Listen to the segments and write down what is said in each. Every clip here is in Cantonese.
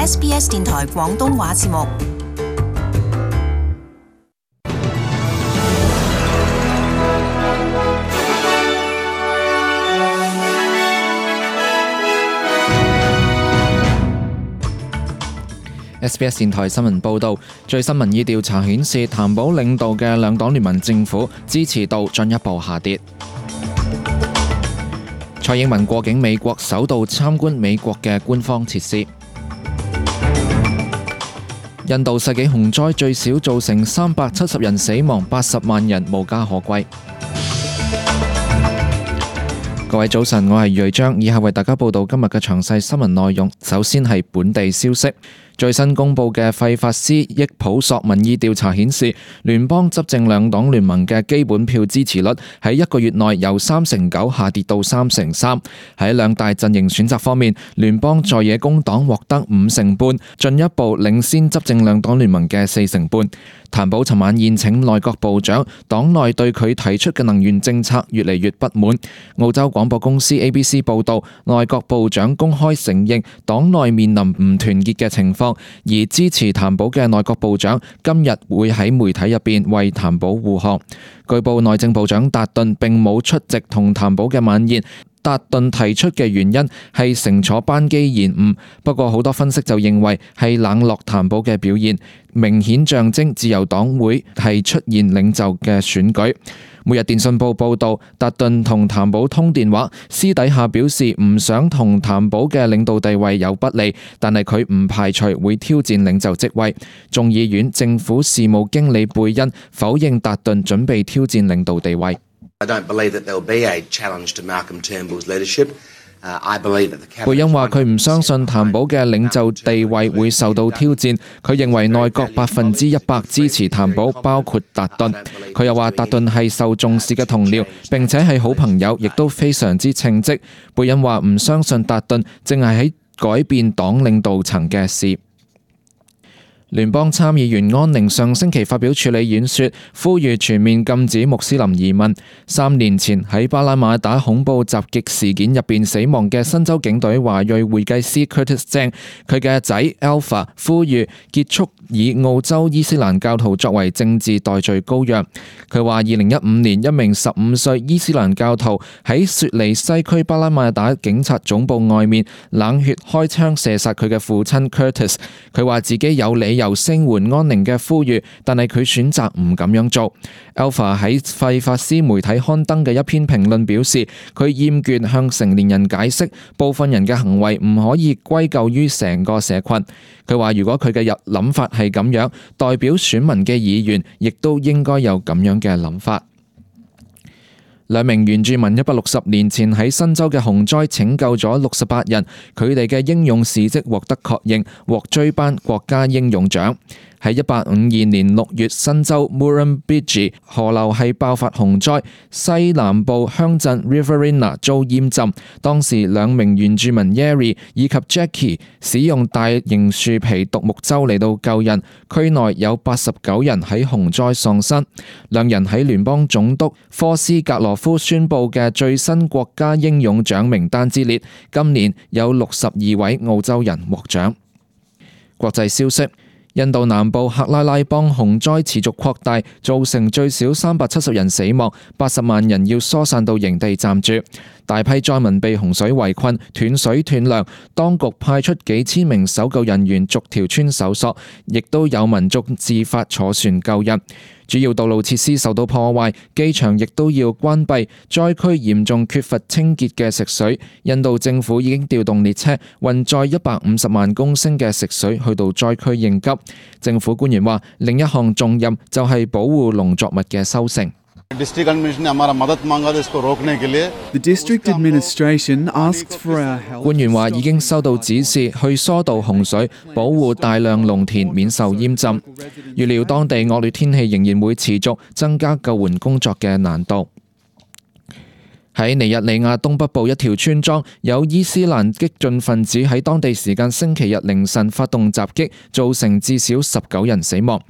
SBS 電台廣東話節目。SBS 電台新聞報導，最新民意調查顯示，譚寶領導嘅兩黨聯盟政府支持度進一步下跌。蔡英文過境美國，首度參觀美國嘅官方設施。印度世紀洪災最少造成370人死亡，80萬人無家可歸。各位早晨，我係瑞章，以下為大家報道今日嘅詳細新聞內容。首先係本地消息。最新公布嘅費法斯益普索民意調查顯示，聯邦執政兩黨聯盟嘅基本票支持率喺一個月內由3.9%下跌到3.3%。喺兩大陣營選擇方面，聯邦在野工黨獲得5.5%，進一步領先執政兩黨聯盟嘅4.5%。譚寶尋晚宴請內閣部長，黨內對佢提出嘅能源政策越嚟越不滿。澳洲廣播公司 ABC 報導，內閣部長公開承認黨內面臨唔團結嘅情況。而支持譚寶嘅內閣部長今日會喺媒體入邊為譚寶護航。據報內政部長達頓並冇出席同譚寶嘅晚宴。達頓提出嘅原因係乘坐班機延誤，不過好多分析就認為係冷落譚寶嘅表現，明顯象徵自由黨會係出現領袖嘅選舉。每日電訊報報導，達頓同譚寶通電話，私底下表示唔想同譚寶嘅領導地位有不利，但係佢唔排除會挑戰領袖職位。眾議院政府事務經理貝恩否認達頓準備挑戰領導地位。I don't believe that there will be a challenge to Malcolm Turnbull's leadership. I believe that the cabinet. 貝恩話佢唔相信譚寶嘅領袖地位會受到挑戰。佢認為內閣100%支持譚寶，包括達頓。佢又話達頓係受重視嘅同僚，並且係好朋友，亦都非常之稱職。貝恩話唔相信達頓正係喺改變黨領導層嘅事。聯邦參議員安寧上星期發表處理演說，呼籲全面禁止穆斯林移民。3年前喺巴拉馬打恐怖襲擊事件入邊死亡嘅新州警隊華裔會計師 Curtis Zhang， 佢嘅仔 Alpha 呼籲結束以澳洲伊斯蘭教徒作為政治代罪羔羊。佢話2015年一名15歲伊斯蘭教徒喺雪梨西區巴拉馬打警察總部外面冷血開槍射殺佢嘅父親 Curtis。佢話自己有理由聲援安寧嘅呼籲，但係佢選擇唔咁樣做。Alpha 喺費法斯媒體刊登嘅一篇評論表示，佢厭倦向成年人解釋部分人嘅行為唔可以歸咎於成個社群。佢話如果佢嘅諗法係咁樣，代表選民嘅議員亦都應該有咁樣嘅諗法。兩名原住民160年前喺新州嘅洪災拯救咗68人，佢哋嘅英勇事蹟獲得確認，獲追頒國家英勇獎。喺1852年6月，新州 Murrumbidgee 河流係爆發洪災，西南部鄉鎮 Riverina 遭淹浸。當時兩名原住民 Yeri 以及 Jackie 使用大型樹皮獨木舟嚟到救人，區內有89人喺洪災喪生。兩人喺聯邦總督科斯格羅夫宣布嘅最新國家英勇獎名單之列，今年有62位澳洲人獲獎。國際消息。印度南部克拉拉邦洪災持續擴大，造成最少370人死亡，80萬人要疏散到營地暫住。大批災民被洪水圍困，斷水斷糧，當局派出幾千名搜救人員逐條村搜索，亦都有民眾自發坐船救人。主要道路設施受到破壞，機場亦都要關閉，災區嚴重缺乏清潔嘅食水。印度政府已經調動列車運載150萬公升嘅食水去到災區應急。政府官員話，另一項重任就係保護農作物嘅收成。The district administration asked for our help. 官員話已經收到指示去疏導洪水，保護大量農田免受淹浸。預料當地惡劣天氣仍然會持續，增加救援工作嘅難度。喺尼日利亞東北部一條村莊，有伊斯蘭激進分子喺當地時間星期日凌晨發動襲擊，造成至少19人死亡。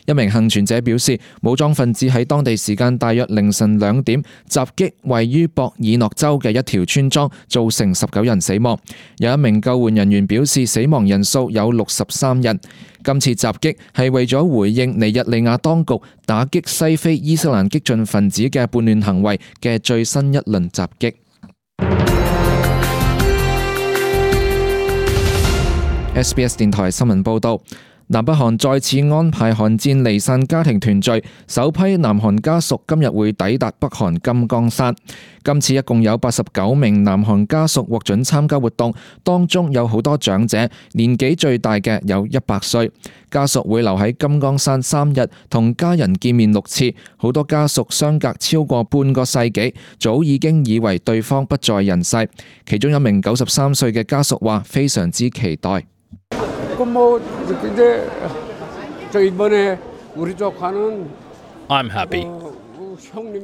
一名幸存者表示，武裝分子喺當地時間大約凌晨2點襲擊位於博爾諾州嘅一條村莊，造成19人死亡。有一名救援人員表示，死亡人數有63人。今次襲擊係為咗回應尼日利亞當局打擊西非伊斯蘭激進分子嘅叛亂行為嘅最新一輪襲擊。SBS 電台新聞報導。南北韓再次安排韓戰離散家庭團聚，首批南韓家屬今日會抵達北韓金剛山。今次一共有89名南韓家屬獲准參加活動，當中有好多長者，年紀最大嘅有100歲。家屬會留喺金剛山3日，同家人見面6次。好多家屬相隔超過半個世紀，早已經以為對方不在人世。其中一名93歲嘅家屬話：非常之期待。I'm happy.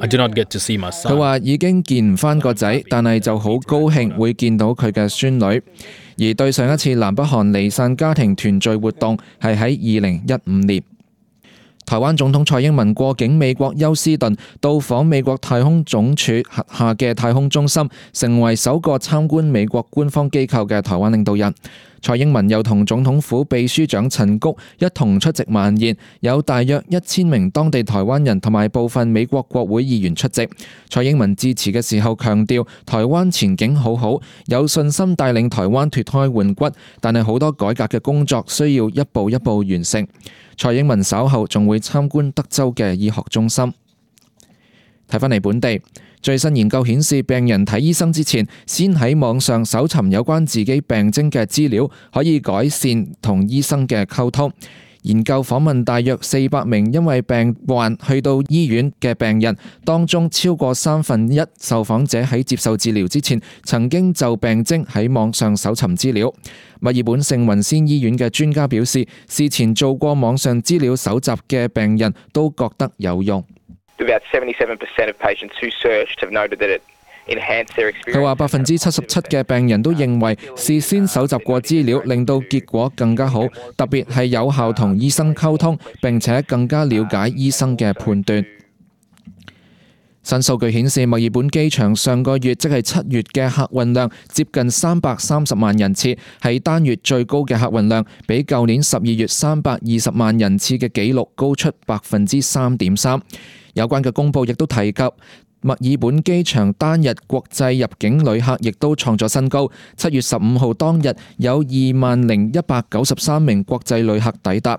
I do not get to see my son. 佢話已經見唔返個仔，但係就好高興會見到佢嘅孫女。而對上一次南北韓離散家庭團聚活動係喺2015年。台灣總統蔡英文過境美國休斯頓，到訪美國太空總署轄下嘅太空中心，成為首個參觀美國官方機構嘅台灣領導人。蔡英文又同總統府秘書長陳菊一同出席晚宴，有大約1000名當地台灣人同埋部分美國國會議員出席。蔡英文致辭嘅時候強調，台灣前景好好，有信心帶領台灣脫胎換骨，但係好多改革嘅工作需要一步一步完成。蔡英文稍後仲會參觀德州嘅醫學中心。睇返嚟本地，最新研究顯示，病人睇醫生之前，先喺網上搜尋有關自己病徵嘅資料，可以改善同醫生嘅溝通。研究訪問大約400名因為病患去到醫院嘅病人，當中超過1/3受訪者喺接受治療之前，曾經就病徵喺網上搜尋資料。墨爾本聖雲仙醫院嘅專家表示，事前做過網上資料搜集嘅病人都覺得有用。佢話77%嘅病人都認為事先搜集過資料令到結果更加好，特別係有效同醫生溝通，並且更加了解醫生嘅判斷。新數據顯示，墨爾本機場上個月即係7月嘅客運量接近330萬人次，係單月最高嘅客運量，比舊年12月320萬人次嘅紀錄高出3.3%。有關嘅公佈亦都提及，墨爾本機場單日國際入境旅客亦都創咗新高。7月15號當日有20,193名國際旅客抵達。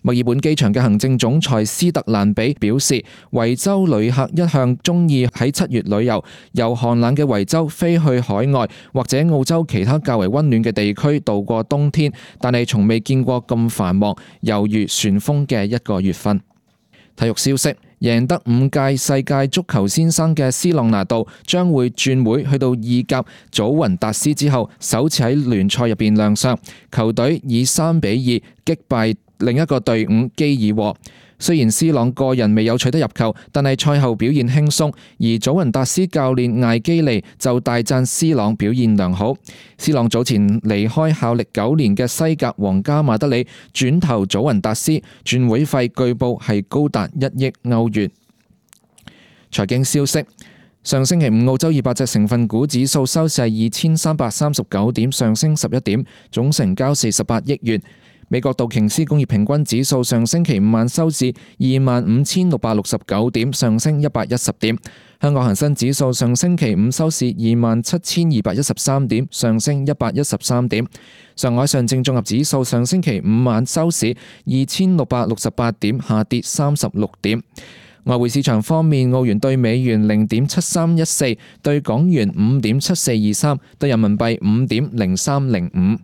墨爾本機場嘅行政總裁斯特蘭比表示，維州旅客一向鍾意喺7月旅遊，由寒冷嘅維州飛去海外或者澳洲其他較為溫暖嘅地區度過冬天，但係從未見過咁繁忙，猶如旋風嘅一個月份。體育消息，贏得5屆世界足球先生嘅斯朗拿度將會轉會去到意甲祖雲達斯之後，首次喺聯賽入邊亮相，球隊以3-2擊敗另一個隊伍基爾和。雖然斯朗個人未有取得入球，但係賽後表現輕鬆，而祖雲達斯教練艾基利就大讚斯朗表現良好。斯朗早前離開效力9年嘅西甲皇家馬德里，轉投祖雲達斯，轉會費據報係高達1億歐元。財經消息，上星期五澳洲200隻成分股指數收市係2339點，上升11點，總成交48億元。美國道瓊斯工業平均指數上星期五晚收市25,669點，上升110點。香港恒生指數上星期五收市27,213點，上升113點。上海上證綜合指數上星期五晚收市2,668點，下跌36點。外匯市場方面，澳元對美元0.7314，對港元5.7423，對人民幣5.0305。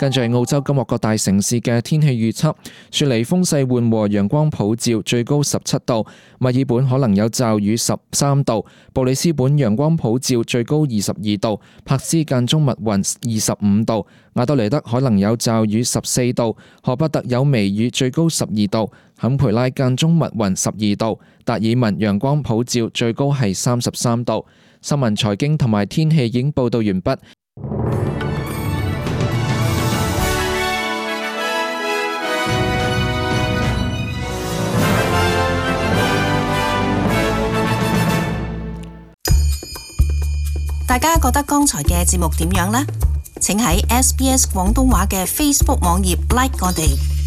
跟住係澳洲今日各大城市嘅天氣預測：雪梨風勢緩和，陽光普照，最高17度；墨爾本可能有驟雨13度；布里斯本陽光普照，最高22度；柏斯間中密雲25度；亞德雷德可能有驟雨14度；荷伯特有微雨，最高12度；坎培拉間中密雲12度；達爾文陽光普照，最高係33度。新聞、財經同埋天氣已經報道完畢。大家覺得剛才嘅節目點樣呢？請喺SBS 廣東話嘅 Facebook 網頁 like 我哋。